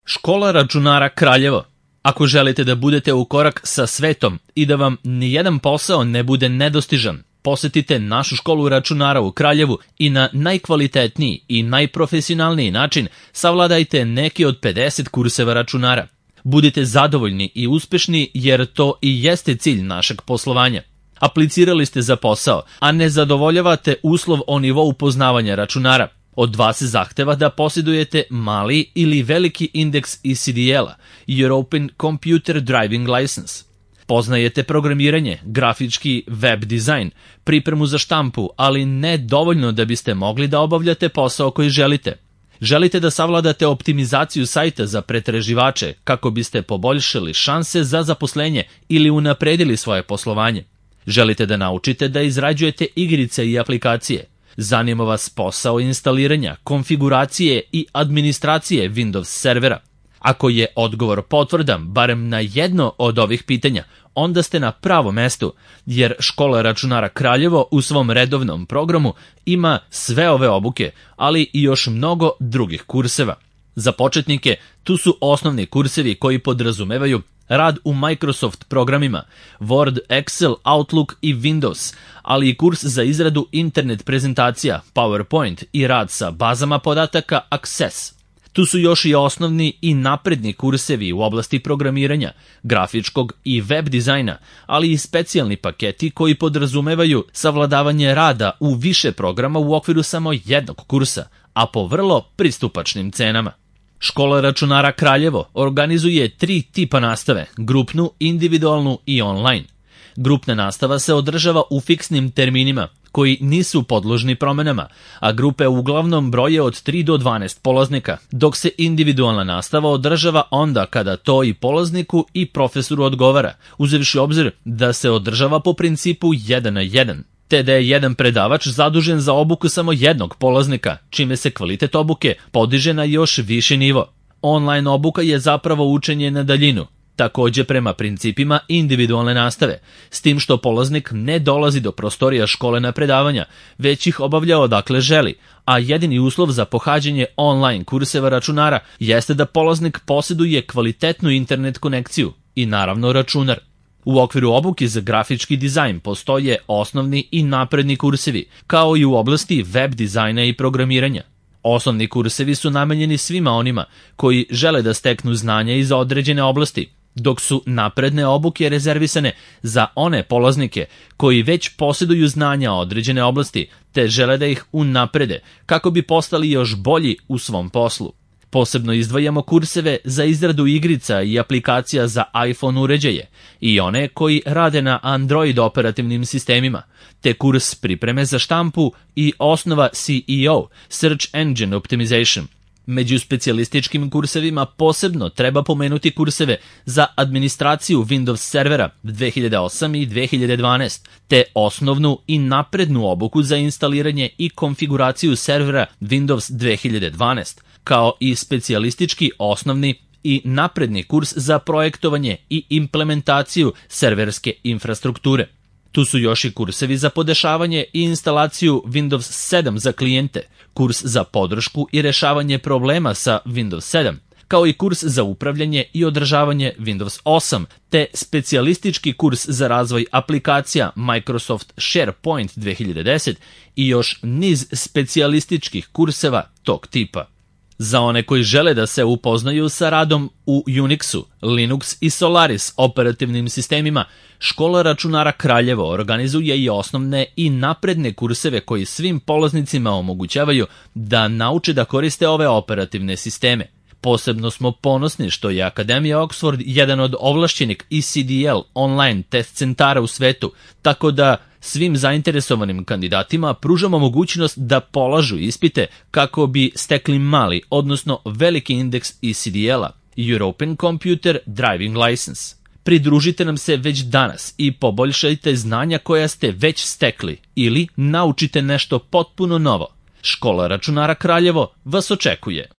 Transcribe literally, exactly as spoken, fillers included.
Škola računara Kraljevo. Ako želite da budete u korak sa svetom i da vam nijedan posao ne bude nedostižan, posetite našu školu računara u Kraljevu i na najkvalitetniji i najprofesionalniji način savladajte neki od pedeset kurseva računara. Budite zadovoljni i uspešni jer to i jeste cilj našeg poslovanja. Aplicirali ste za posao, a ne zadovoljavate uslov o nivou poznavanja računara. Od vas se zahteva da posjedujete mali ili veliki indeks E C D L-a, European Computer Driving License. Poznajete programiranje, grafički web dizajn, pripremu za štampu, ali ne dovoljno da biste mogli da obavljate posao koji želite. Želite da savladate optimizaciju sajta za pretraživače kako biste poboljšali šanse za zaposlenje ili unapredili svoje poslovanje. Želite da naučite da izrađujete igrice i aplikacije. Zanima vas posao instaliranja, konfiguracije i administracije Windows servera. Ako je odgovor potvrdan barem na jedno od ovih pitanja, onda ste na pravom mestu, jer Škola računara Kraljevo u svom redovnom programu ima sve ove obuke, ali i još mnogo drugih kurseva. Za početnike, tu su osnovni kursevi koji podrazumevaju rad u Microsoft programima, Word, Excel, Outlook i Windows, ali i kurs za izradu internet prezentacija, PowerPoint i rad sa bazama podataka Access. Tu su još i osnovni i napredni kursevi u oblasti programiranja, grafičkog i web dizajna, ali i specijalni paketi koji podrazumevaju savladavanje rada u više programa u okviru samo jednog kursa, a po vrlo pristupačnim cenama. Škola računara Kraljevo organizuje tri tipa nastave, grupnu, individualnu i online. Grupna nastava se održava u fiksnim terminima, koji nisu podložni promenama, a grupe uglavnom broje od tri do dvanaest polaznika, dok se individualna nastava održava onda kada to i polazniku i profesoru odgovara, uzevši obzir da se održava po principu jedan na jedan, te da je jedan predavač zadužen za obuku samo jednog polaznika, čime se kvalitet obuke podiže na još viši nivo. Online obuka je zapravo učenje na daljinu, takođe prema principima individualne nastave, s tim što polaznik ne dolazi do prostorija škole na predavanja, već ih obavlja odakle želi, a jedini uslov za pohađanje online kurseva računara jeste da polaznik posjeduje kvalitetnu internet konekciju i naravno računar. U okviru obuke za grafički dizajn postoje osnovni i napredni kursevi, kao i u oblasti web dizajna i programiranja. Osnovni kursevi su namenjeni svima onima koji žele da steknu znanja iz određene oblasti, dok su napredne obuke rezervisane za one polaznike koji već posjeduju znanja određene oblasti te žele da ih unaprede kako bi postali još bolji u svom poslu. Posebno izdvajamo kurseve za izradu igrica i aplikacija za iPhone uređaje i one koji rade na Android operativnim sistemima, te kurs pripreme za štampu i osnova S E O, Search Engine Optimization. Među specijalističkim kursevima posebno treba pomenuti kurseve za administraciju Windows servera dve hiljade osam i dve hiljade dvanaest, te osnovnu i naprednu obuku za instaliranje i konfiguraciju servera Windows dve hiljade dvanaest, kao i specijalistički osnovni i napredni kurs za projektovanje i implementaciju serverske infrastrukture. Tu su još i kursevi za podešavanje i instalaciju Windows sedam za klijente, kurs za podršku i rešavanje problema sa Windows sedam, kao i kurs za upravljanje i održavanje Windows osam, te specijalistički kurs za razvoj aplikacija Microsoft SharePoint dve hiljade deset i još niz specijalističkih kurseva tog tipa. Za one koji žele da se upoznaju sa radom u Unixu, Linux i Solaris operativnim sistemima, Škola računara Kraljevo organizuje i osnovne i napredne kurseve koji svim polaznicima omogućavaju da nauče da koriste ove operativne sisteme. Posebno smo ponosni što je Akademija Oxford jedan od ovlašćenih E C D L online test centara u svetu, tako da svim zainteresovanim kandidatima pružamo mogućnost da polažu ispite kako bi stekli mali, odnosno veliki indeks E C D L-a, European Computer Driving License. Pridružite nam se već danas i poboljšajte znanja koja ste već stekli ili naučite nešto potpuno novo. Škola računara Kraljevo vas očekuje.